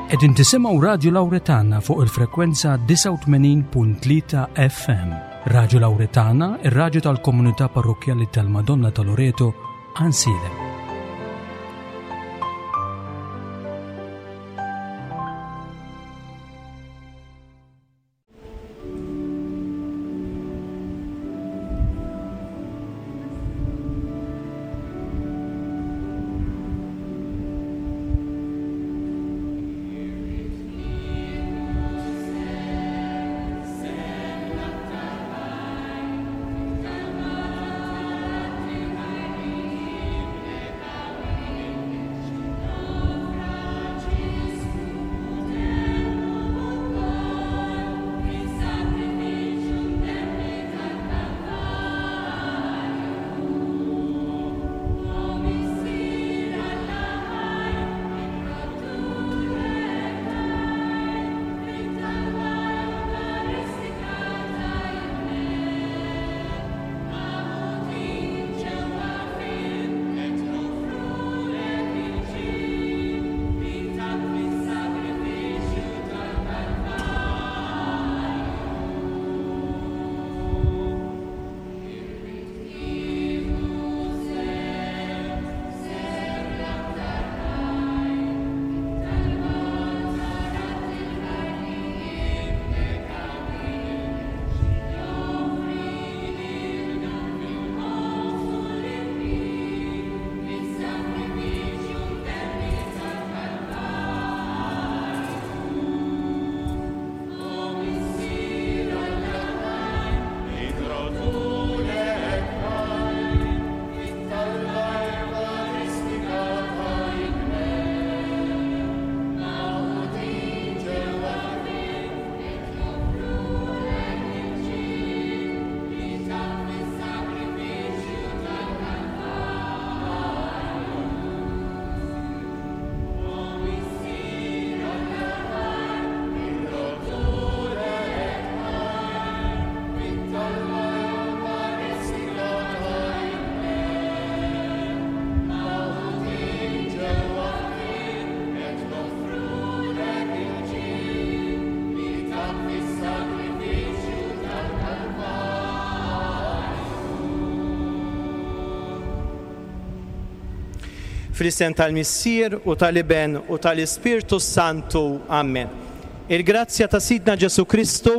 Qegħdin tisimgħu Radju Lawretana fuq il-frekwenza 89.3 FM. Radju Lawretana, ir-radju tal-komunità parrokkjali tal-Madonna ta' Loreto, Għansielem. Fl-isem tal-Missier u tal-Iben u tal-Ispirtu s-Santu. Amen. Il-grazzja ta' Sidna Ġesù Kristu,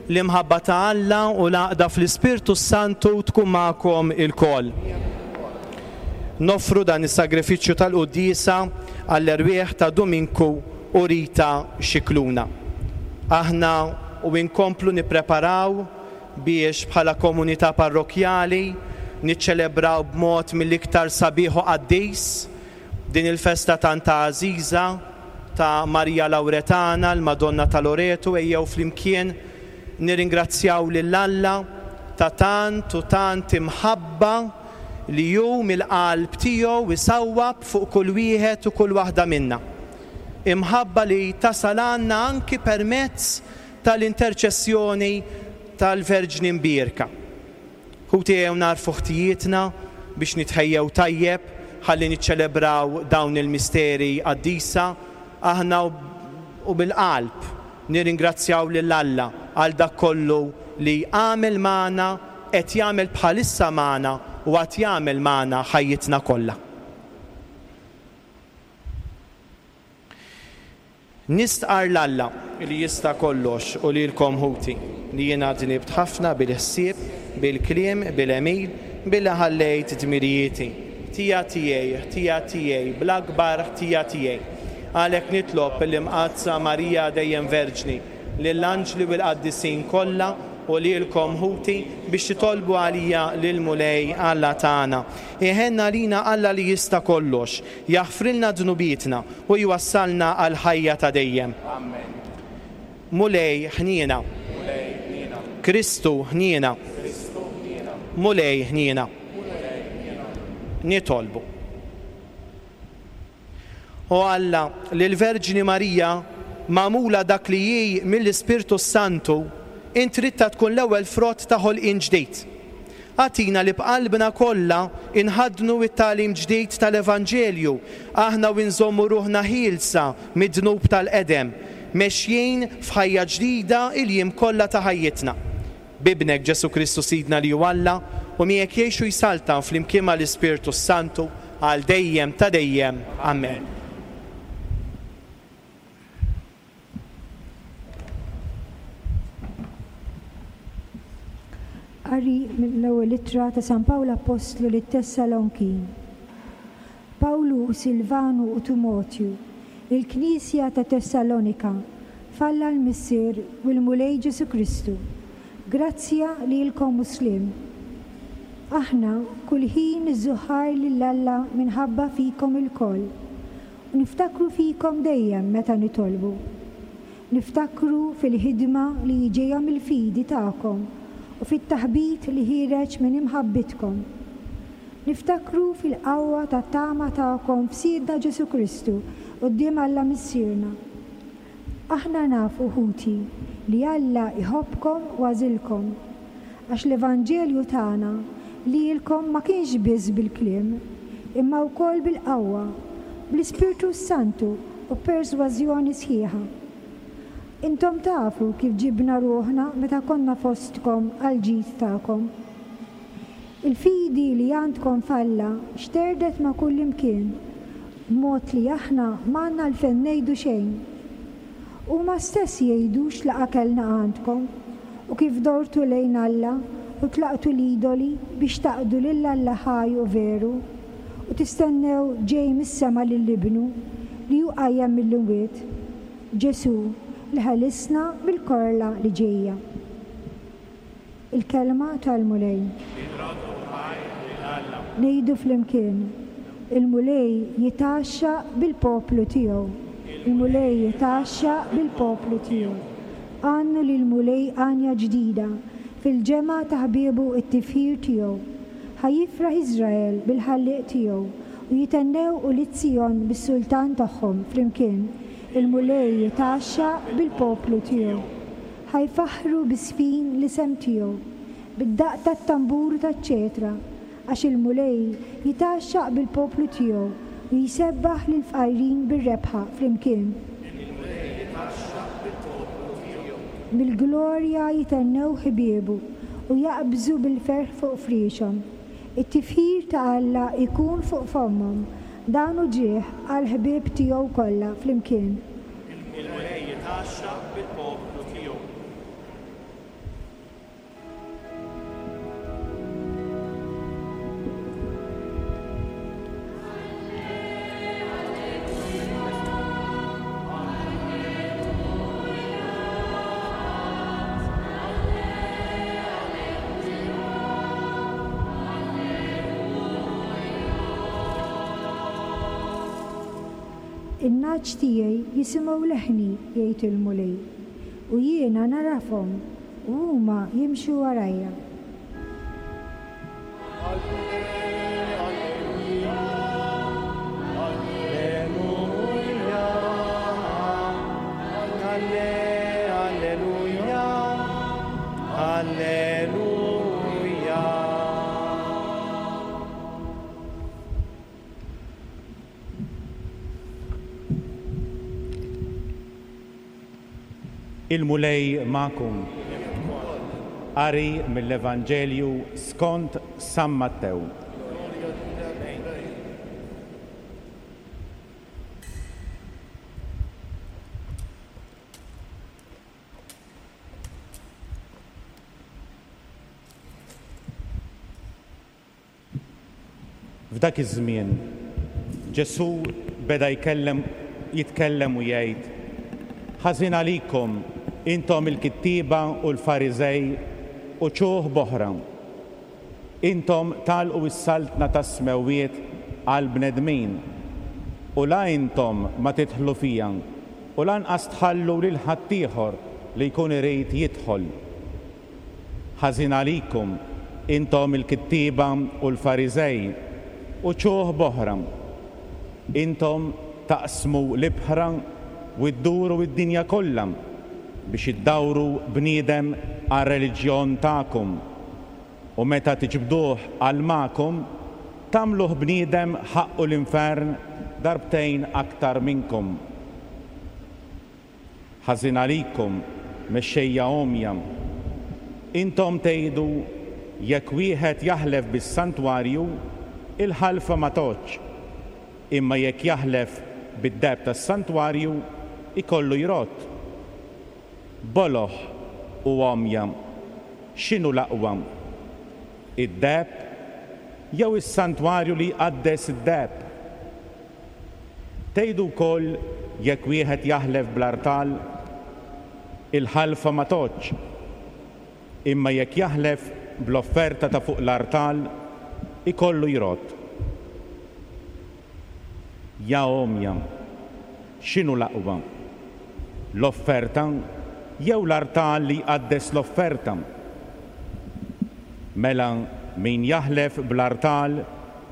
l-imħabba ta' Alla u l-għaqda fl-Ispirtu s-Santu tkun magħkom ilkoll. Noffru dan is-sagrifiċċju tal-quddiesa għall-erwieħ ta' Duminku u Rita Scicluna. Aħna u inkomplu nippreparaw biex bħala komunità parrokkjali niċċelebraw b'mod mill-iktar sabiħ u qaddis din il-festa tant għażiża ta' Marija Lawretana, l-Madonna ta' Loretu, ejjew flimkien nirringrazzjaw lil Alla ta' tant u tant imħabba li hu mill-qalb tiegħu jsawwab fuq kull wieħed u kull waħda minna. Imħabba li tasal għandna anki permezz tal-interċessjoni tal-Verġni Mbierka. Ħuti ejjew nagħrfu ħtijietna biex nitħejjew tajjeb ħalli niċċelebraw dawn il-misteri qaddisa aħna u bil-qalb nirringrazzjaw lil Alla għal dak kollu li għamel magħna, qed jagħmel bħalissa magħna u għad jagħmel magħna ħajjitna kollha. Nistqarr 'l Alla, li jista' kollox, u lilkom ħuti, li jiena dnibt ħafna bil-ħsieb, bil-kliem, bil-għemil, billi ħallejt dmirijieti. Ħtija tiegħi, ħtija tiegħi, bl-akbar ħtija tiegħi. Għalhekk nitlob lill-Imqaddsa Marija dejjem Verġni, lill-anġli u l-qaddisin kollha, u lilkom ħuti, biex titolbu għalija lill-Mulej Alla tagħna. Iħenn għalina Alla li jista' kollox, jaħfrilna dnubietna, u jwassalna għall-ħajja ta' dejjem. Amen. Mulej, ħniena. Mulej, ħniena. Kristu, ħniena. Kristu, ħniena. Mulej, ħniena. Mulej, ħniena. Nitolbu. O Alla, li l-Verġni Marija, magħmula dak li hi mill-Ispirtu s-Santu, int ridtha tkun l-ewwel frott ta' ħolqien ġdid. Agħtina li b'qalbna kollha inħaddnu t-tagħlim ġdid tal-Evanġelju, aħna u nżommu ruħna ħielsa mid-dnub tal-qedem, mexjin f'ħajja ġdida il-jiem kollha ta' ħajjitna. B'Ibnek Ġesù Kristu Sidna li hu Alla, u miegħek jgħix u jsaltan flimkien mal-Ispirtu s-Santu, għal dejjem ta' dejjem. Amen. Qari mill-ewwel ittra ta' San Pawl Appostlu lit-Tessalonkin. Pawlu u Silvanu u Timotju, lill-Knisja ta' Tessalonika, f'Alla l-Missier u l-Mulej Ġesù Kristu, grazzja lilkom u sliem. Aħna kull ħin niżżuħħar lil Alla minħabba fikom ilkoll, U niftakru fikom dejjem meta nitolbu. Niftakru fil-ħidma li ġejja mill-fidi tagħkom u fit-taħbit li ħiereġ minn imħabbitkom. Niftakru fil-qawwa tat-tama tagħkom f'Sidna Ġesù Kristu quddiem Alla Missierna. Aħna nafu, ħuti, li Alla jħobbkom u għażilkom, għax l-evanġelju tagħna lilkom ma kienx biss bil-kliem, imma wkoll bil-qawwa, bl-Ispirtu s-Santu u b'persważjoni sħiħa. Intom tafu kif ġibna ruħna meta konna fostkom għall-ġid tagħkom. Il-fidi li għandkom f'Alla xterdet ma' kullimkien, b'mod li aħna m'għandna għalfejn ngħidu xejn. Huma stess jgħidu x'laqgħa kellna għandkom, u kif dortu lejn Alla u tlaqtu l-idoli biex taqdu lil Alla ħaj u veru, u tistennew ġej mis-sema lil Ibnu, li hu qajjem mill-imwiet, Ġesù, li ħelisna mill-korla li ġejja. Il-Kelma tal-Mulej. Inroddu ħajr lil Alla. Ngħidu flimkien, Il-Mulej jitgħaxxaq bil-poplu tiegħu. Il-Mulej jitgħaxxaq bil-poplu tiegħu. Għannu lill-Mulej għanja ġdida, fil-ġemgħa ta' ħbiebu t-tifħir tiegħu. Ħa jifraħ Iżrael bil-Ħallieq tiegħu, u jithennew ulied Sijon bis-Sultan tagħhom flimkien. Il-Mulej jitgħaxxaq bil-poplu tiegħu. Ħa jfaħħru biż-żfin l-isem tiegħu, bid-daqq tat-tambur u taċ-ċetra, għax il-Mulej jitgħaxxaq bil-poplu tiegħu u jsebbaħ lill-fqajrin bir-rebħa flimkien. Il-Mulej jitgħaxxaq bil-poplu tiegħu. Mill-glorja jithennew ħbiebu u jaqbżu bil-ferħ fuq friexhom. It-tifħir ta' Alla jkun fuq fommhom, dan hu ġieħ għall-ħbieb tiegħu kollha flimkien. Il-Mulej jitgħaxxaq bil-poplu tiegħu. In-nagħaġ tiegħi jisimgħu leħni, jgħid il-Mulej, u jiena nagħrafhom, u huma jimxu warajja. Il-Mulej magħkom. Qari mill-Evanġelju skont San Mattew. F'dak iż-żmien, Ġesù beda jkellem jitkellem u jgħid, Ħażin għalikom, intom il-kittieba u l-Fariżej, uċuħ b'oħra! Intom tagħlqu s-saltna tas-smewwiet għall-bnedmin, u la intom ma tidħlu fiha, u lanqas tħallu lil ħaddieħor li jkun irid jidħol. Ħażin għalikom, intom il-kittieba u l-Fariżej, uċuħ b'oħra! Intom taqsmu l-ibħra u dduru d-dinja kollha biex iddawru bniedem għar-reliġjon tagħkom. U meta tiġbduh għal magħkom, tagħmluh bniedem ħaqqu l-infern darbtejn aktar minnkom. Ħażin għalikom, mexxejja għomja! Intom tgħidu, 'Jekk wieħed jaħlef bis-santwarju, il-ħalfa ma tgħoddx, imma jekk jaħlef bid-deheb tas-santwarju, ikollu jrodd. Boloh u għomja, x'inhu l-aqwa, id-deheb jew is-santwarju li jqaddes id-deheb? Tgħidu wkoll jekk wieħed jaħlef bl-artal, il-ħalfa ma tgħoddx, imma jekk jaħlef bl-offerta ta' fuq l-artal, ikollu jrodd. Ja għomja, x'inhu l-aqwa, l-offerta jew l-artal li jqaddes l-offerta? Mela min jaħlef bl-artal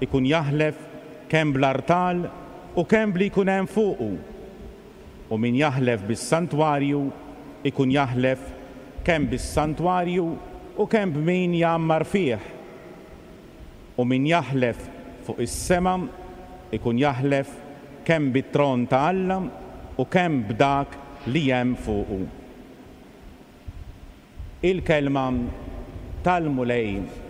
ikun jaħlef kemm bl-artal u kemm b'li jkun hemm fuqu, u min jaħlef bis-santwarju jkun jaħlef kemm bis-santwarju u kemm b'min jgħammar fih. U min jaħlef fuq is-sema jkun jaħlef kemm bit-tron ta' Alla u kemm b'dak li hemm fuqu. Il-Kelma tal-Mulej.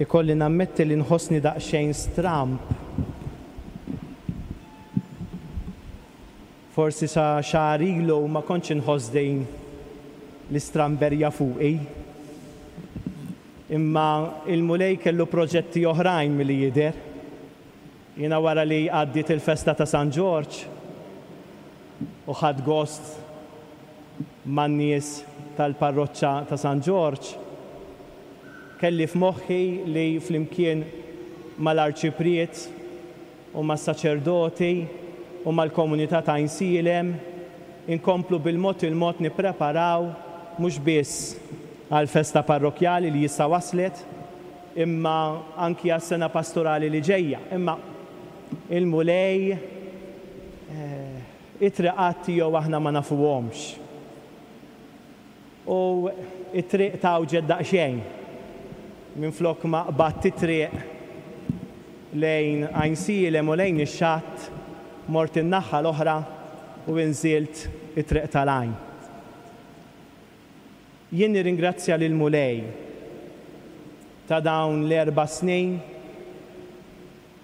Ikolli nammetti li nħossni daqsxejn stramb. Forsi sa xahar ilu ma kontx inħoss din l-istramberja fuqi. Imma il-Mulej kellu proġetti oħrajn milli jidher. Jiena wara li għaddiet il-festa ta' San Ġorġ u ħadt gost man-nies tal-parroċċa ta' San Ġorġ, kelli f'moħħi li flimkien mal-Arċipriet u mas-saċerdoti u mal-komunità ta' Għajnsielem inkomplu bil-mod il-mod nippreparaw mhux biss għall-festa parrokkjali li issa waslet, imma anki għas-sena pastorali li ġejja. Imma il-Mulej it-triqat tiegħu aħna ma nafuhomx. U t-triq tgħawġet daqsxejn. Minflok ma qbadt it-triq lejn Għajnsielem u lejn ix-xatt, mort in-naħa l-oħra u inżilt it-triq tal-Għajn. Jien nirringrazzja lill-Mulej ta' dawn l-erba' snin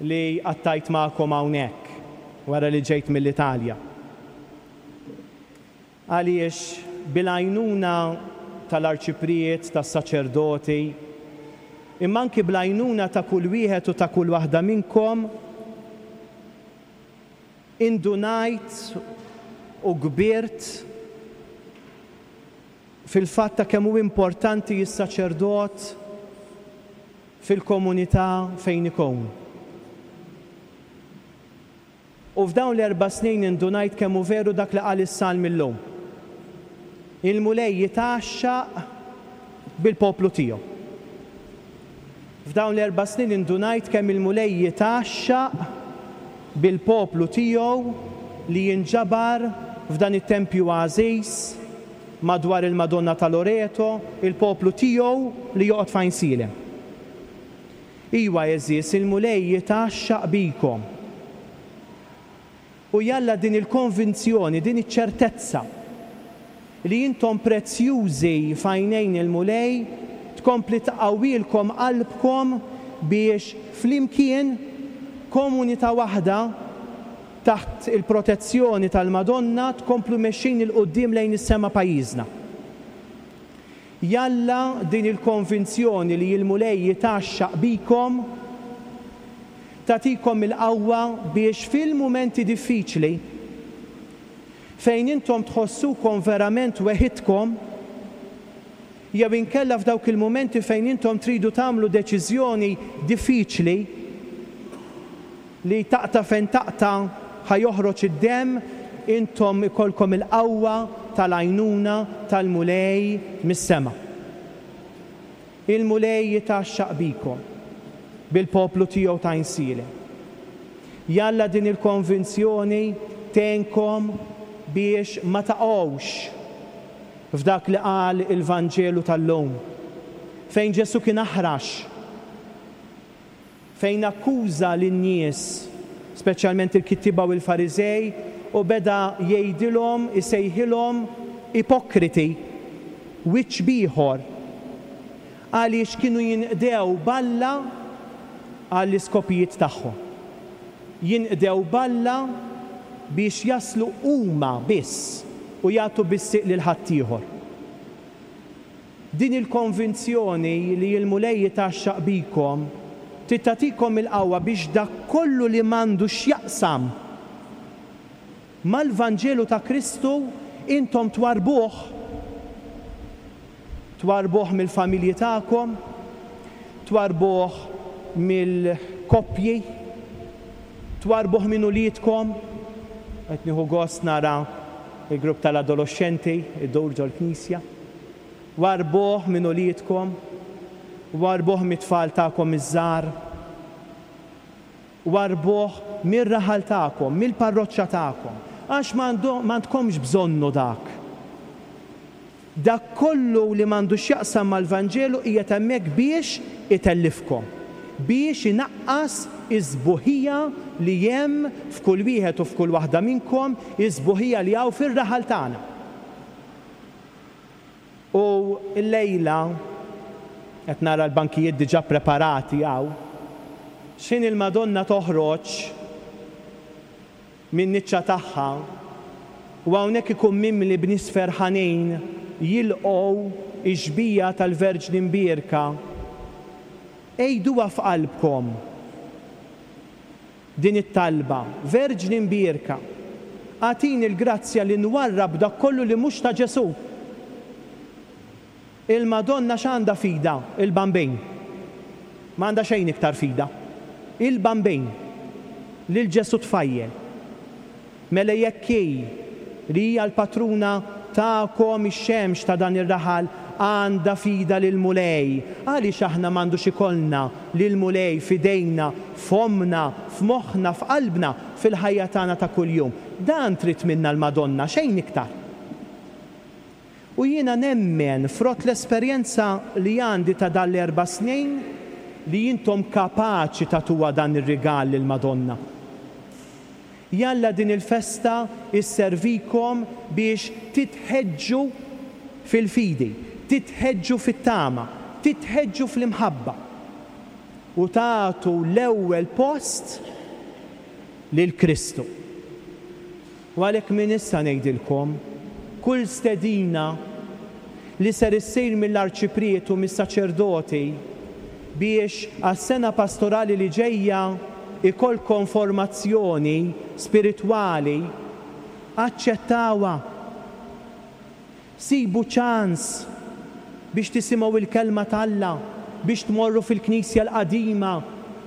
li qattajt magħkom hawnhekk wara li ġejt mill-Italja. Għaliex bil-għajnuna tal-Arċipriet, tas-saċerdoti, imma anki bl-għajnuna ta' kull wieħed u ta' kull waħda minnkom, indunajt u kbirt fil-fatt ta' kemm hu importanti s-saċerdot fil-komunità fejn ikun. U f'dawn l-erba' snin indunajt kemm hu veru dak li qal is-Salm illum. Il-Mulej jitgħaxxaq bil-poplu tiegħu. F'dawn l-erba' snin indunajt kemm il-Mulej jitgħaxxaq bil-poplu tiegħu li jinġabar f'dan it-tempju għażiż madwar il-Madonna ta' Loreto, il-poplu tiegħu li joqgħod f'Għajnsielem. Iwa, għeżież, il-Mulej jitgħaxxaq bikom. U jalla din il-konvinzjoni, din iċ-ċertezza li intom prezzjużi f'għajnejn il-Mulej tkompli tqawwilkom qalbkom biex flimkien, komunità waħda, taħt il-protezzjoni tal-Madonna tkomplu mexjin 'il quddiem lejn is-sema pajjiżna. Jalla din il-konvinzjoni li l-Mulej jitgħaxxaq bikom tagħtikom il-qawwa biex fil-mumenti diffiċli, fejn intom tħossukom verament weħidkom, jew inkella f'dawk il-mumenti fejn intom tridu tagħmlu deċiżjoni diffiċli, Li taqta' fejn taqta' ħa joħroġ id-demm, intom ikollkom il-qawwa tal-għajnuna tal-Mulej mis-sema. Il-Mulej jitgħaxxaq bikom, bil-poplu tiegħu ta' Għajnsielem. Jalla din il-konvinzjoni tgħinkom biex ma taqgħux f'dak li qal il-Vanġelu tal-lum, fejn Ġesù kien aħrax, fejn akkuża lin-nies, speċjalment il-kittieba u l-Fariżej, u beda jgħidilhom, isejħilhom ipokriti, wiċċ b'ieħor, għaliex kienu jinqdew b'Alla għall-iskopijiet tagħhom. Jinqdew b'Alla biex jaslu huma biss u jagħtu bis-sieq lil ħaddieħor. Din il-konvinzjoni li l-Mulej jitgħaxxaq bikom trid tagħtikom il-qawwa biex dak kollu li m'għandu x'jaqsam mal-Vanġelu ta' Kristu intom twarrbuh, twarrbuh mill-familji tagħkom, twarrbuh mill-koppji, twarrbuh minn uliedkom. Qed nieħu gost nara l-grupp tal-adoloxxenti idur ġol-knisja. Warrbuh minn uliedkom, warrbuh mit-tfal tagħkom iż-żgħar, warrbuh mir-raħal tagħkom, mill-parroċċa tagħkom, għax m'għandkomx bżonnu dak. Dak kollu li m'għandu x'jaqsam mal-Vanġelu qiegħed hemmhekk biex itellifkom, biex inaqqas is-sbuħija li hemm f'kull wieħed u f'kull waħda minnkom, is-sbuħija li hawn fir-raħal tagħna. U llejla, qed nara l-bankijiet diġà preparati hawn, x'ħin il-Madonna toħroġ min-niċċa tagħha u hawnhekk ikun mimli b'nies ferħanin jilqgħu x-xbieha tal-Verġni Mbierka, għiduha f'qalbkom. Din it-talba, Verġni Mbierka, agħtini l-grazzja li nwarrab dak kollu li mhux ta' Ġesù. Il-Madonna x'għandha f'idha? Il-Bambin. Ma għandha xejn iktar f'idha. Il-Bambin. Lil Ġesù tfajjel. Mela jekk hi, li hija l-patruna tagħkom, ix-xemx ta' dan ir-raħal, għandha f'idha lill-Mulej, għaliex aħna m'għandux ikollna lill-Mulej f'idejna, f'fommna, f'moħħna, f'qalbna, fil-ħajja tagħna ta' kuljum? Dan trid minna l-Madonna, xejn iktar. U jiena nemmen, frott l-esperjenza li għandi ta' dan l-erba' snin, li intom kapaċi tagħtuha dan ir-rigal lill-Madonna. Jalla din il-festa sservikom biex titħeġġu fil-fidi, titħeġġu fit-tama, titħeġġu fl-imħabba u tagħtu l-ewwel post lil Kristu. U għalhekk minn issa ngħidilkom, kull stedina li ser issir mill-Arċipriet u mis-saċerdoti biex għas-sena pastorali li ġejja ikollkom formazzjoni spiritwali, aċċettawha. Sibu ċans biex tisimgħu l-Kelma t'Alla, biex tmorru fil-knisja l-qadima,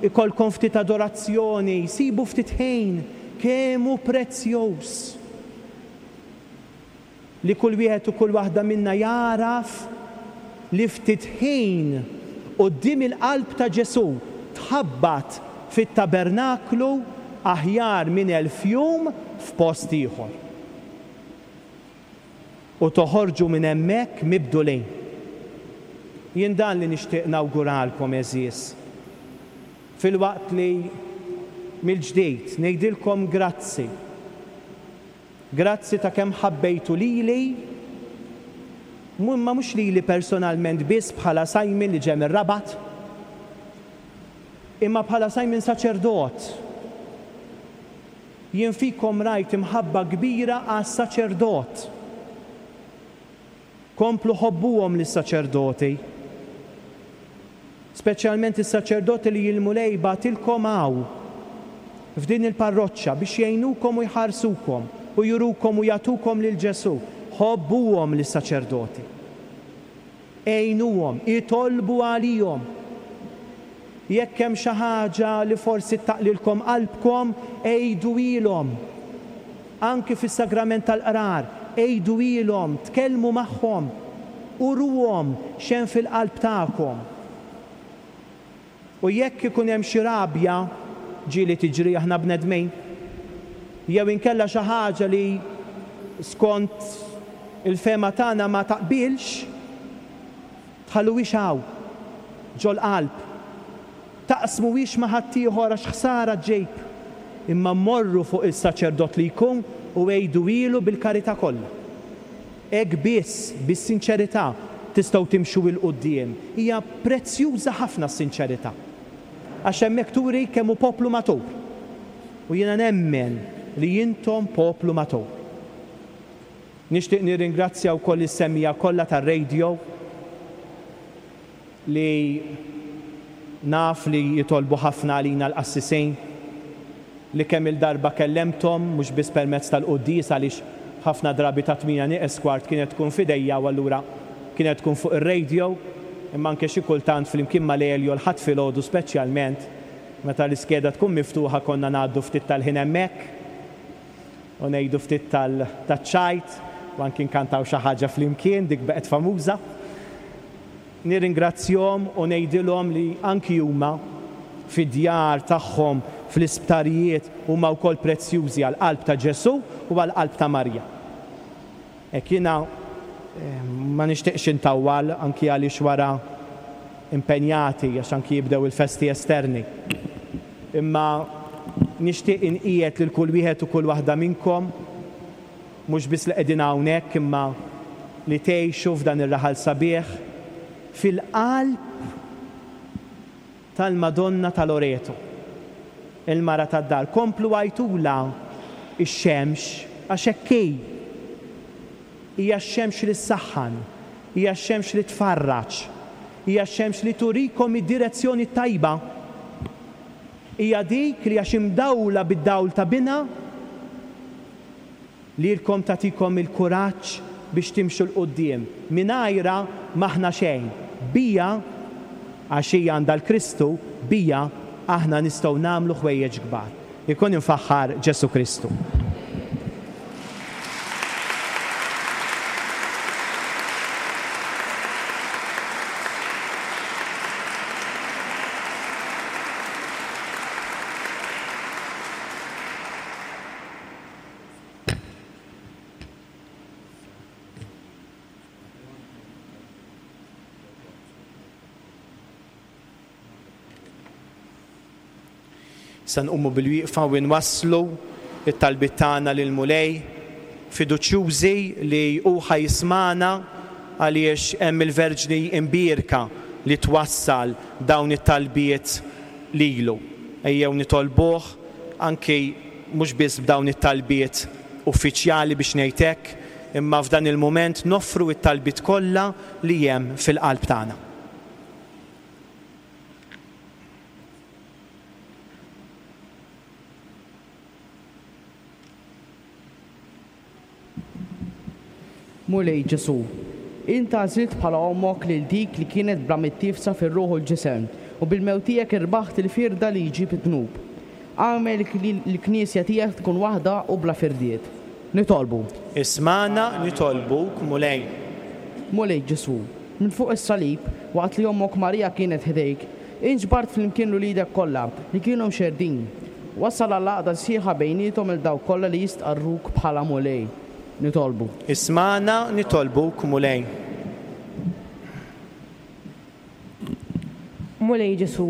ikollkom ftit adorazzjoni, sibu ftit ħin, kemm hu prezzjuż li kull wieħed u kull waħda minna jagħraf li ftit ħin quddiem il-qalb ta' Ġesù tħabbat fit-tabernaklu aħjar minn 1000 jum f'post ieħor. U toħorġu minn hemmhekk mibdulin. Jien dan li nixtieq nawguralkom għeżież. Filwaqt li mill-ġdid ngħidilkom grazzi. Grazzi ta' kemm ħabbejtu lili, imma mhux lili personalment biss bħala Simon li ġej mir-Rabat, imma bħala Simon saċerdot. Jien fikom rajt imħabba kbira għas-saċerdot. Komplu ħobbuhom lis-saċerdoti. Speċjalment is-saċerdoti li l-Mulej bagħtilkom hawn, f'din il-parroċċa, biex jgħinukom u jħarsukom u jurukom u jagħtukom lil Ġesù. Ħobbuhom lis-saċerdoti. Għinuhom, itolbu għalihom. Jekk hemm xi ħaġa li forsi ttaqlilkom qalbkom, għiduhielhom. Anki fis-sagrament tal-qrar, għiduhielhom, tkellmu magħhom, uruhom x'hemm fil-qalb tagħkom. U jekk ikun hemm xi rabja, ġieli tiġri aħna bnedmin, jew inkella xi ħaġa li skont il-fehma tagħna ma taqbilx, tħalluhiex hawn, ġol-qalb. Taqsmuhiex ma' ħaddieħor għax ħsara ġġib. Imma morru fuq is-saċerdot li jkun u għiduhielu bil-karità kollha. Hekk biss, bis-sinċerità, tistgħu timxu 'l quddiem. Hija prezzjuża ħafna s-sinċerità. Għax hemmhekk turi kemm hu poplu matur. U jiena nemmen li intom poplu matur. Nixtieq nirringrazzja wkoll is-semmiegħa kollha tar-radio li naf li jitolbu ħafna għalina l-qassisin, li kemm-il darba kellemthom, mhux biss permezz tal-quddies għaliex ħafna drabi ta' tmienja nieqes kwart kienet tkun f'idejja u allura kienet tkun fuq ir-radio, imma anke xi kultant flimkien ma' Lelio l-Ħadd filgħodu speċjalment meta l-iskeda tkun miftuħa konna ngħaddu ftit tal-ħin hemmhekk u ngħidu ftit taċ-ċajt u anki nkantaw xi ħaġa flimkien, dik baqgħet famuża. Nirringrazzjhom u ngħidilhom li anki huma, fid-djar tagħhom, fl-isptarijiet, huma wkoll prezzjużi għall-qalb ta' Ġesù u għall-qalb ta' Marija. Hekk jiena ma nixtieqx intawwal anki għaliex wara impenjati għax anki jibdew il-festi esterni. Imma nixtieq inqiegħed lil kull wieħed u kull waħda minnkom, Mhux biss li qegħdin hawnhekk imma li tgħixu f'dan ir-raħal sabiħ, fil-qalb tal-Madonna ta' Loreto, il-mara tad-dar. Komplu għajtulha x-xemx għax hekk hi. Hija x-xemx li ssaħħan, hija x-xemx li tfarraġ, hija x-xemx li turikom id-direzzjoni t-tajba. Hija dik li għax imdawla bid-dawl ta' Binha, Lilkom tagħtikom il-kuraġġ biex timxu 'l quddiem. Mingħajrha m'aħna xejn. Biha, għax hi għandha l-Kristu, biha aħna nistgħu nagħmlu ħwejjeġ kbar. Ikun imfaħħar Ġesù Kristu. Se nqumu bil-wieqfa u nwasslu t-talbiet tagħna lill-Mulej, fiduċjużi li hu ħa jismagħna għaliex hemm il-Verġni Imbierka li twassal dawn it-talbiet lilu. Ejjew nitolbuh anki mhux biss b'dawn it-talbiet uffiċjali biex ngħid hekk, imma f'dan il-mument noffru t-talbiet kollha li hemm fil-qalb tagħna. Mulej Ġesù, int għażilt bħala ommok lil dik li kienet bla mittiefsa fir-ruħ u l-ġisem, u bil-mewt tiegħek irbaħt il-firda li jġib id-dnub. Agħmel li l-Knisja tiegħek tkun waħda u bla firdiet. Nitolbu. Ismagħna nitolbuk, Mulej. Mulej Ġesù, minn fuq is-salib, waqt li ommok Marija kienet ħdejk, int ġbart flimkien 'l uliedek kollha li kienu mxerrdin. Wassal għall-għaqda sħiħa bejniethom 'il dawk kollha li jistqarruk bħala Mulej. Nitolbu. Ismagħna nitolbuk, Mulej. Mulej Ġesù,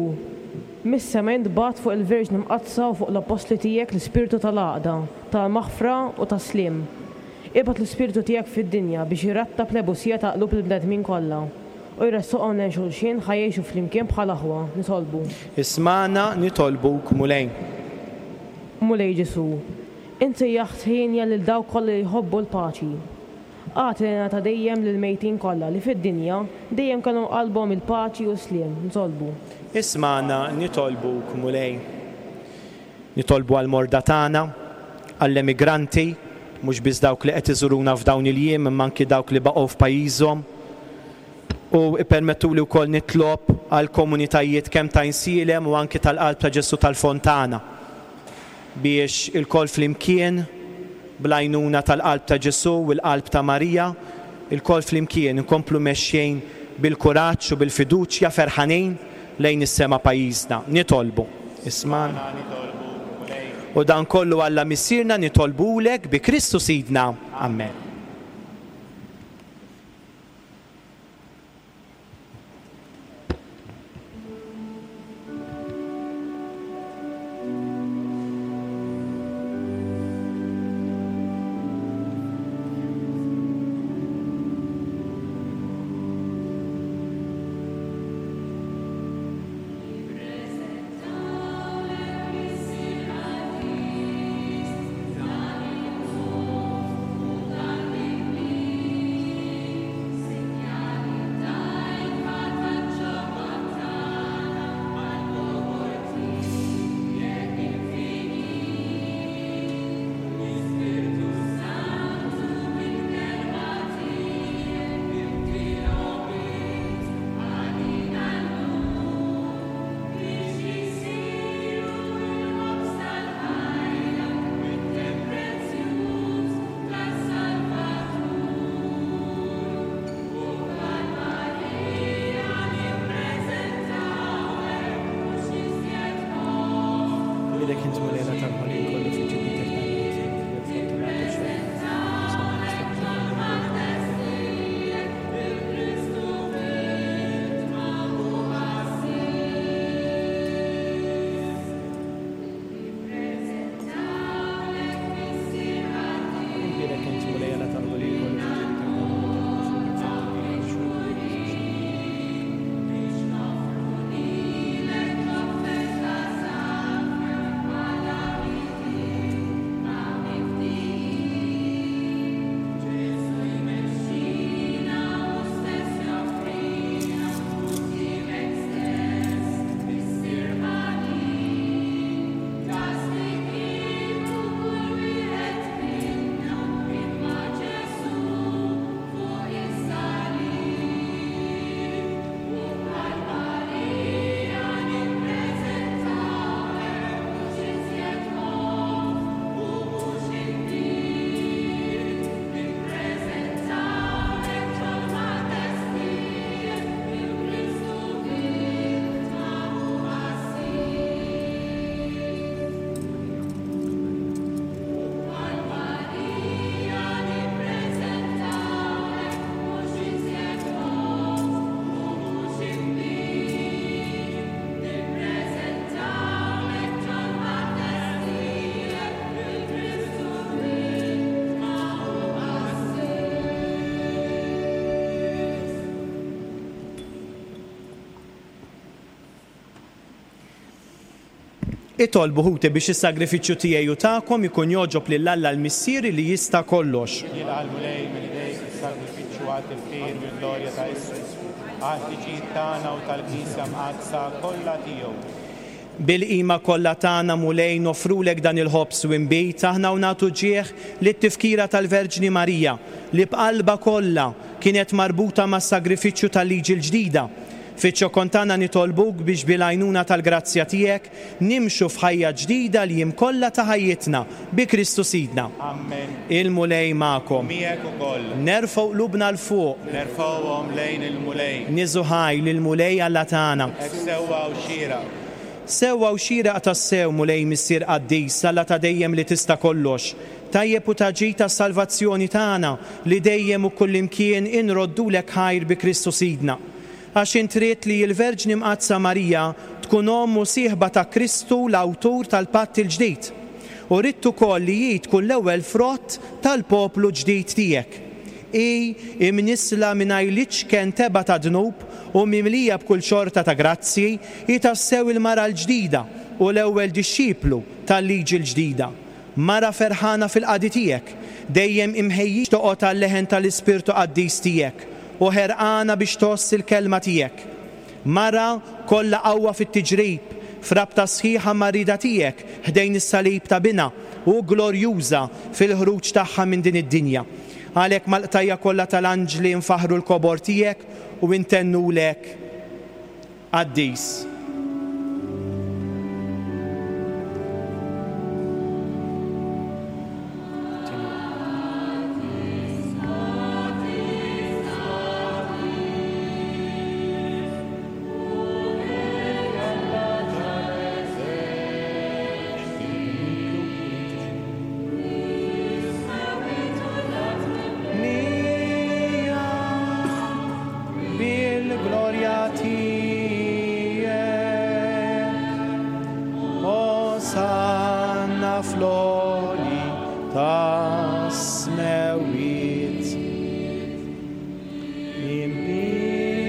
mis-sema int bgħatt fuq il-Verġni Mqaddsa u fuq l-Appostli tiegħek l-ispirtu tal-għaqda, tal-maħfra u tas-sliem. Ibgħat l-Ispirtu tiegħek fid-dinja biex irattab l-ebusija ta' qlub il-bnedmin kollha u jressaqhom lejn xulxin ħa jgħixu flimkien bħal aħwa. Nitolbu. Ismagħna nitolbuk, Mulej. Mulej Ġesù, int sejjaħt hienja lil dawk kollha li jħobbu l-paċi. Agħti l-hena ta' dejjem lill-mejtin kollha li fid-dinja dejjem kellhom qalbhom il-paċi u s-sliem. Nitolbu. Ismagħna nitolbuk, Mulej. Nitolbu għall-morda tagħna, għall-emigranti, mhux biss dawk li qed iżuruna f'dawn il-jiem imma anki dawk li baqgħu f'pajjiżhom. U ippermettuli wkoll nitlob għall-komunitajiet kemm ta' Għajnsielem u anki tal-Qalb ta' Ġesù tal-Fontana biex ilkoll flimkien, bl-għajnuna tal-Qalb ta' Ġesù u l-Qalb ta' Marija, ilkoll flimkien inkomplu mexjin bil-kuraġġ u bil-fiduċja ferħanin lejn is-sema pajjiżna. Nitolbu. Ismagħna. U dan kollu Alla Missierna nitolbulek bi Kristu Sidna. Amen. Itolbu, ħuti, biex is-sagrifiċċju tiegħi u tagħkom ikun jogħġob lil Alla l-Missier li jista' kollox. Jilqa' l-Mulej minn idejk is-sagrifiċċju għat-tifħir u l-glorja ta' ismu, għall-ħtiġijiet tagħna u tal-Knisja mqaddsa kollha tiegħu. Bil-qima kollha tagħna, Mulej, noffrulek dan il-ħobż u inbid, aħna u nagħtu ġieħ lit-tifkira tal-Verġni Marija, li b'qalbha kollha kienet marbuta mas-sagrifiċċju tal-Liġi l-ġdida. Fiċ-ċokon tagħna nitolbuk biex bil-għajnuna tal-grazzja tiegħek nimxu f'ħajja ġdida l-jiem kollha ta' ħajjitna, bi Kristu Sidna. Ammen. Il-Mulej magħkom. U miegħek ukoll. Nerfgħu qlubna 'l fuq. Nerfgħuhom lejn il-Mulej. Niżu ħaj lill-Mulej Alla tagħna. Hekk sewwa u xieraq. Sewwa u xieraq tassew, Mulej Missier qaddis, Alla ta' dejjem li tista' kollox, tajjeb u ta' ġid għas-salvazzjoni tagħna li dejjem u kullimkien inroddulek ħajr bi Kristu Sidna. Għax int ridt li l-Verġni Mqaddsa Marija tkun omm u sieħba ta' Kristu l-awtur tal-patt il-ġdid. U ridt ukoll li hi tkun l-ewwel frott tal-poplu ġdid tiegħek. Hi, imnissla mingħajr l-iċken tebgħa ta' dnub u mimlija b'kull xorta ta' grazzji, hi tassew il-mara l-ġdida u l-ewwel dixxiplu tal-liġi l-ġdida. Mara ferħana fil-qadi tiegħek, dejjem imħejjija toqgħod għal-leħen tal-Ispirtu Qaddis tiegħek u ħerqana biex tgħożż il-kelma tiegħek. Mara kollha qawwa fit-tiġrib, f'rabta sħiħa mar-rieda tiegħek ħdejn is-salib ta' Binha u glorjuża fil-ħruġ tagħha minn din id-dinja. Għalhekk mal-qtajja kollha tal-anġli nfaħħru l-kobor tiegħek u ntennulek Qaddis. Bil-glorja tiegħek, Osanna fl-għoli tas-smewwiet. Imbierek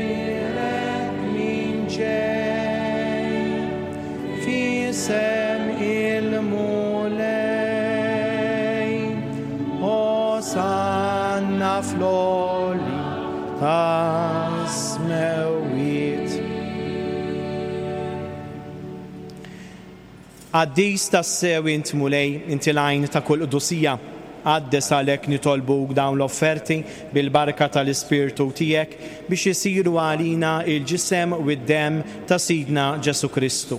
min ġej f'isem il-Mulej, Osanna fl-għoli tas-smewwiet. Qaddis tassew int Mulej, inti l-għajn ta' kull qdusija. Qaddes għalhekk nitolbuk dawn l-offerti bil-barka tal-Ispirtu tiegħek biex isiru għalina l-ġisem u d-demm ta' Sidna Ġesù Kristu,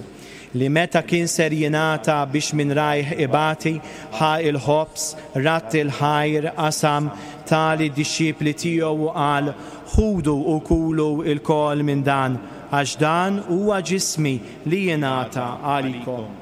li meta kien ser jingħata biex minn rajh ibati, ħa l-ħobż, radd il-ħajr, qasam, ta lid-dixxipli tiegħu u qal, Ħudu u kulu lkoll minn dan, għax dan huwa ġismi li jingħata għalikom.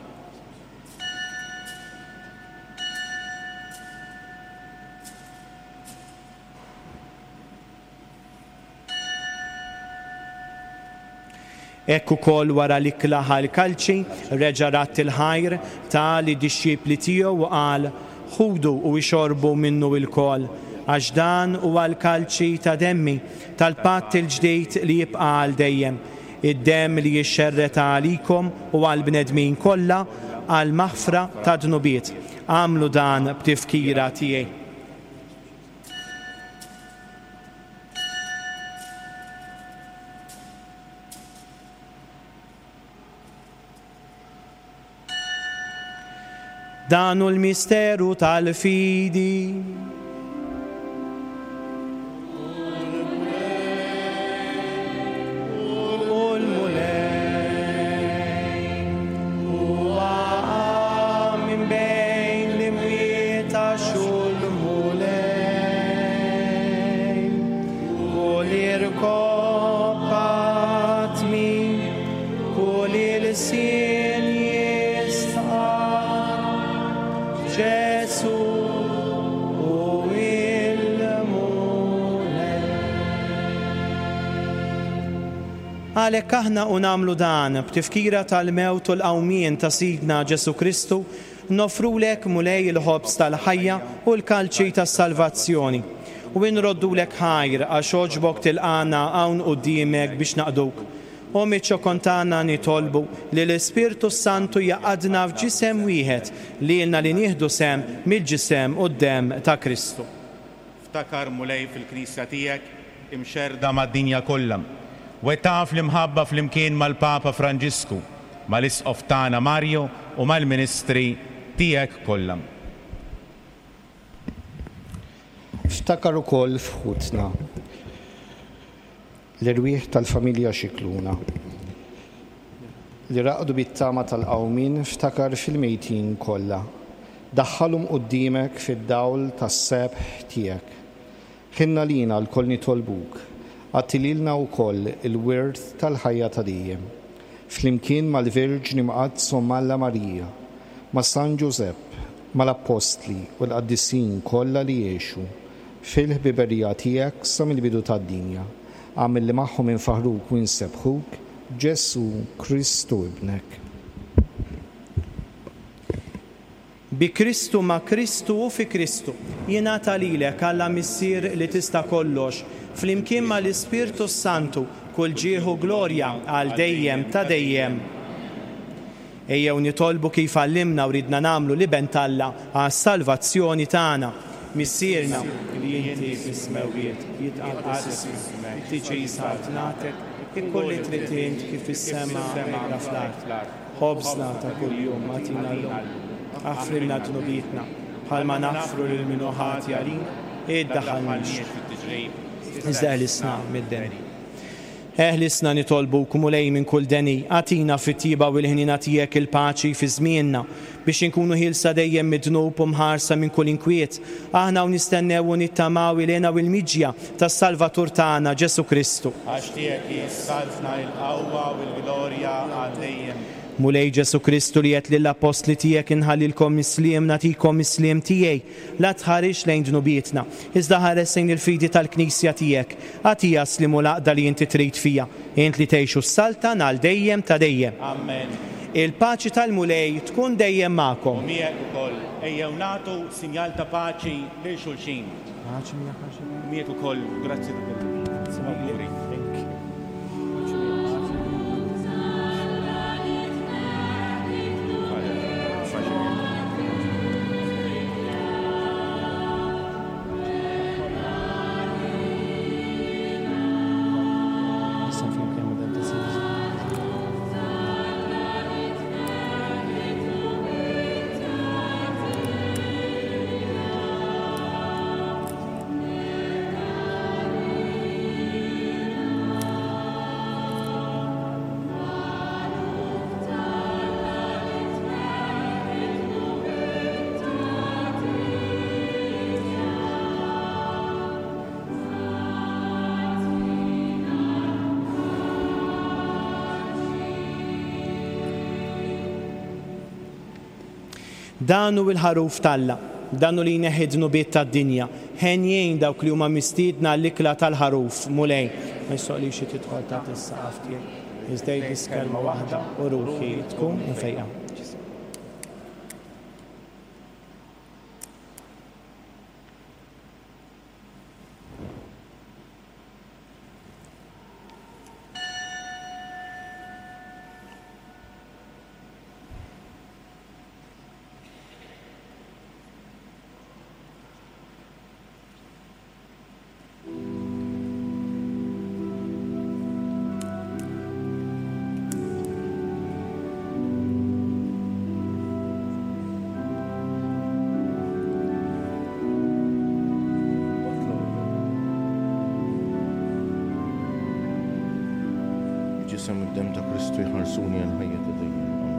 Hekk ukoll wara l-ikla ħa l-kalċi, reġa' radd il-ħajr, ta lid-dixxipli tiegħu u qal, Ħudu u ixorbu minnu ilkoll, għax dan huwa l-kalċi ta' demmi, tal-patt il-ġdid li jibqa' għal dejjem, id-demm li jixxerred għalikom u għall-bnedmin kollha għall-maħfra tad-dnubiet. Agħmlu dan b'tifkira tiegħi. Dan hu l-misteru tal-fidi. Għalhekk aħna u nagħmlu dan b'tifkira tal-mewt u l-qawmien ta' Sidna Ġesù Kristu, Noffrulek, Mulej, il-ħobż tal-ħajja u l-kalċi tas-salvazzjoni. U inroddulek ħajr għax għoġbok tilqagħna hawn quddiemek biex naqduk. O miċ-ċokon tagħna nitolbu li l-Ispirtu s-Santu jgħaqqadna f'ġisem wieħed, lilna li nieħdu sehem mill-ġisem u d-demm ta' Kristu. Ftakar, Mulej, fil-Knisja tiegħek imxerrda mad-dinja kollha. Wettaqha fl-imħabba flimkien mal-Papa Franġisku, mal-Isqof tagħna Mario u mal-ministri tiegħek kollha. Ftakar ukoll f'ħutna, l-erwieħ tal-familja Scicluna, li raqdu bit-tama tal-qawmien, ftakar fil-mejtin kollha. Daħħalhom quddiemek fid-dawl tas-sebħ tiegħek. Ħinn għalina lkoll nitolbuk, agħti lilna wkoll il-wirt tal-ħajja ta' dejjem. Flimkien mal-Verġni Mqaddsa Omm Alla Marija, ma' San Ġużepp, mal-Appostli u l-qaddisin kollha li għexu fil-ħbiberija tiegħek sa mill-bidu tad-dinja, agħmel li magħhom infaħħruk u nsebbħuk, Ġesù Kristu Ibnek. Bi Kristu, ma' Kristu u fi Kristu, jingħata lilek, Alla Missier li tista' kollox, flimkien ma' l-Ispirtu s-Santu, kull ġieħ u glorja għal dejjem ta' dejjem. Ejjew nitolbu kif għallimna u ridna nagħmlu l-Iben t'Alla għas-salvazzjoni tagħna. Missierna, li inti fis-smewwiet, jitqaddes ismek, tiġi saltnatek, ikun li trid int kif fis-sema hekk fl-art. Ħobżna ta' kuljum agħtina llum. Aħfrilna dnubietna, bħalma naħfru lil min hu ħati għalina. Iddaħħalniex fit-tiġrib, iżda eħlisna mid-deni. Eħlisna nitolbuk, Mulej, minn kull deni, agħtina fit-tjieba u l-ħniena tiegħek il-paċi fi żmienna, biex inkunu ħielsa dejjem mid-dnub u mħarsa minn kull inkwiet, aħna u nistennew u nittamaw il-hena u l-miġja tas-Salvatur tagħna, Ġesù Kristu. Għax tiegħek hi s-saltna, il-qawwa u l-glorja għal dejjem. Mulej Ġesù Kristu li għedt lill-appostli tiegħek inħallilkom is-sliem, nagħtikom is-sliem tiegħi, La tħarisx lejn dnubietna, iżda ħares lejn il-fidi tal-Knisja tiegħek. Agħtiha s-sliem u l-għaqda li inti trid fiha, int li tgħix u ssaltan għal dejjem ta' dejjem. Amen. Il-paċi tal-Mulej tkun dejjem magħkom. U miegħek ukoll. Ejjew nagħtu sinjal ta' paċi lil xulxin. Paċi miegħek Arċipriet. U miegħek ukoll. Grazzi ta' kollox. Grazzi mille. Awguri. Thank you. Paċi miegħek. Dan hu l-Ħaruf t'Alla, dan hu li jneħħi d-dnubiet tad-dinja. Henjin dawk li huma mistiedna għall-ikla tal-Ħaruf. Mulej, ma jistħoqqlix li tidħol taħt is-saqaf tiegħi, iżda għid biss kelma waħda u ruħi tkun imfejqa. Il-Ġisem u d-Demm ta' Kristu jħarsuni għall-ħajja ta' dejjem. Amen.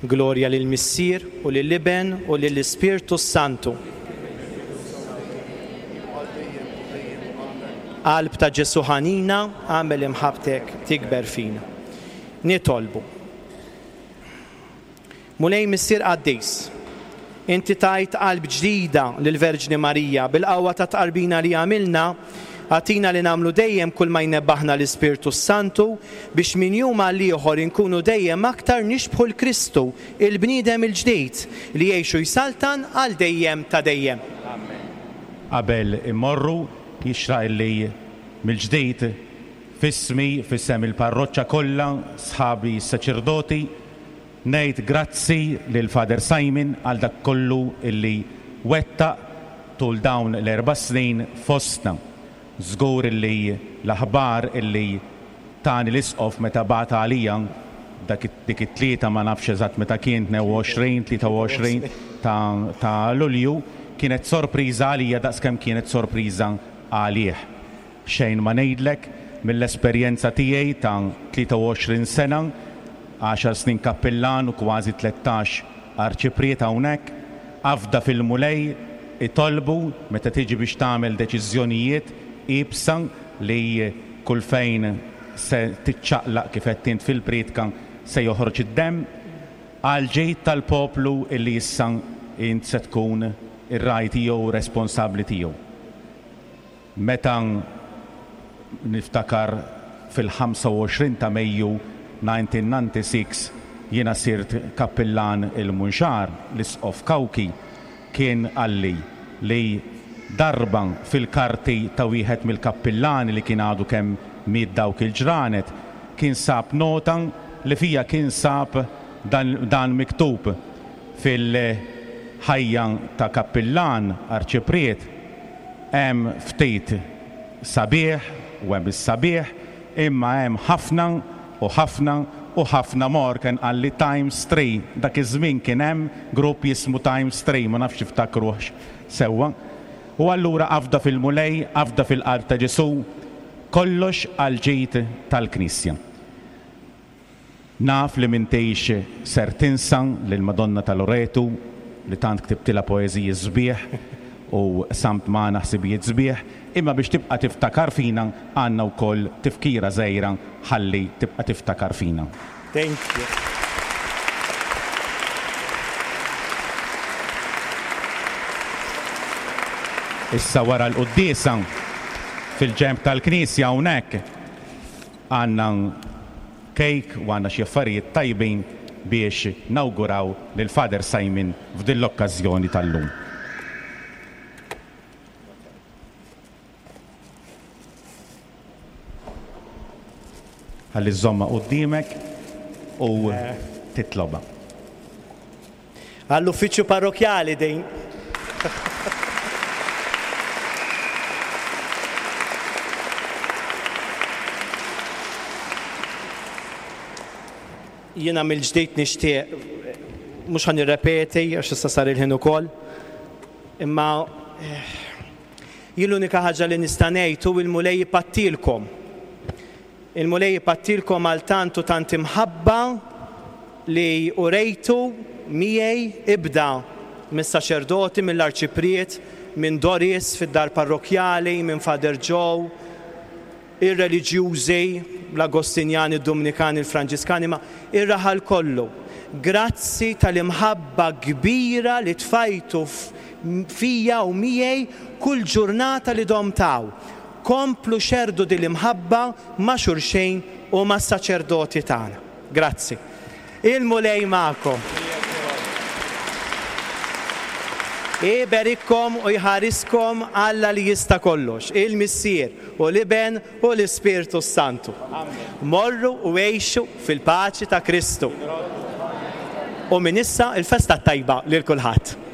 Glorja lill-Missier u lill-Iben u lill-Ispirtu s-Santu. Qalb ta' Ġesù ħanina, agħmel imħabbtek tikber fina. Nitolbu. Mulej Missier Qaddis, inti tajt qalb ġdida lill-Verġni Marija bil-qawwa tat-tqarbina li għamilna, agħtina li nagħmlu dejjem kull ma jnebbaħna l-Ispirtu s-Santu biex minn jum għal ieħor inkunu dejjem aktar nixbħu 'l Kristu, il-bniedem il-ġdid, li jgħix u jsaltan għal dejjem ta' dejjem. Amen. Qabel immorru, jixraq illi mill-ġdid, f'ismi, f'isem il-parroċċa kollha, sħabi s-saċerdoti, Ngħid grazzi lil Father Simon għal dak kollu illi wettaq tul dawn l-erba' snin fostna. Żgur illi l-aħbar illi tani l-Isqof meta bagħat għalija dak dik it-Tlieta ma nafx eżatt meta kien 22, 23 ta' ta' Lulju kienet sorpriża għalija daqskemm kienet sorpriża għalih. Xejn ma ngħidlek, mill-esperjenza tiegħi ta' 23 sena, għaxar snin kappillan u kważi 13 arċipriet hawnhekk, afda fil-Mulej, itolbu meta tiġi biex tagħmel deċiżjonijiet iebsa li kull fejn se tiċċaqlaq kif għedt int fil-prietka se joħroġ id-demm, għall-ġid tal-poplu illi issa int se tkun ir-ragħaj tiegħu u responsabbli tiegħu. Meta niftakar fil-25 ta' Mejju 1996 jiena sirt kappillan il-Munxar, l-Isqof Cauchi kien qalli li darba fil-karti ta' wieħed mill-kappillani li kien għadu kemm miet dawk il-ġranet kien sab nota li fiha kien sab dan miktub fil-ħajja ta' kappillan, arċipriet, Hemm ftit sabiħ u hemm is-sabiħ, imma hemm ħafna u ħafna u ħafna more ken qalli times three. Dak iż-żmien kien hemm grupp jismu Times Three, ma nafx tiftakruhx sewwa. U allura afda fil-Mulej, afda fil-qalb ta' Ġesù, kollox għall-ġid tal-Knisja. Naf li m'intix ser tinsa lill-Madonna ta' Loretu li tant ktibtilha poeżiji sbieħ u qsamt magħna ħsibijiet sbieħ, imma biex tibqa' tiftakar fina għandna wkoll tifkira żgħira ħalli tibqa' tiftakar fina. Thank you. Issa wara l-quddiesa fil-ġenb tal-knisja hawnhekk Għandna cake u għandna xi affarijiet tajbin biex nawguraw lil Father Simon f'din l-okkażjoni tal-lum. Ħalli żżommha quddiemek u titlobha. Għall-uffiċċju parrokkjali din. Jiena mill-ġdid nixtieq, mhux ħa nirrepeti għax issa sar il-ħin ukoll, imma jien l-unika ħaġa li nista' ngħid hu l-Mulej ipattilkom. Il-Mulej ipattilkom għal tant u tant imħabba li urejtu miegħi, ibda mis-saċerdoti, mill-arċipriet, minn Doris fid-dar parrokkjali, minn Father Joe, ir-reliġjużi, l-Agostinjani, id-Dumnikani, il-Franġiskani, ma ir-raħal kollu. Grazzi tal-imħabba kbira li tfajtu fija u miegħi kull ġurnata li domt hawn. Komplu xerrdu din l-imħabba ma' xulxin u mas-saċerdoti tagħna. Grazzi. Il-Mulej magħkom. Iberikkom u jħariskom Alla li jista' kollox, il-Missier u l-Iben u l-Ispirtu s-Santu. Morru u għixu fil-paċi ta' Kristu. U minn issa l-festa t-tajba lil kulħadd.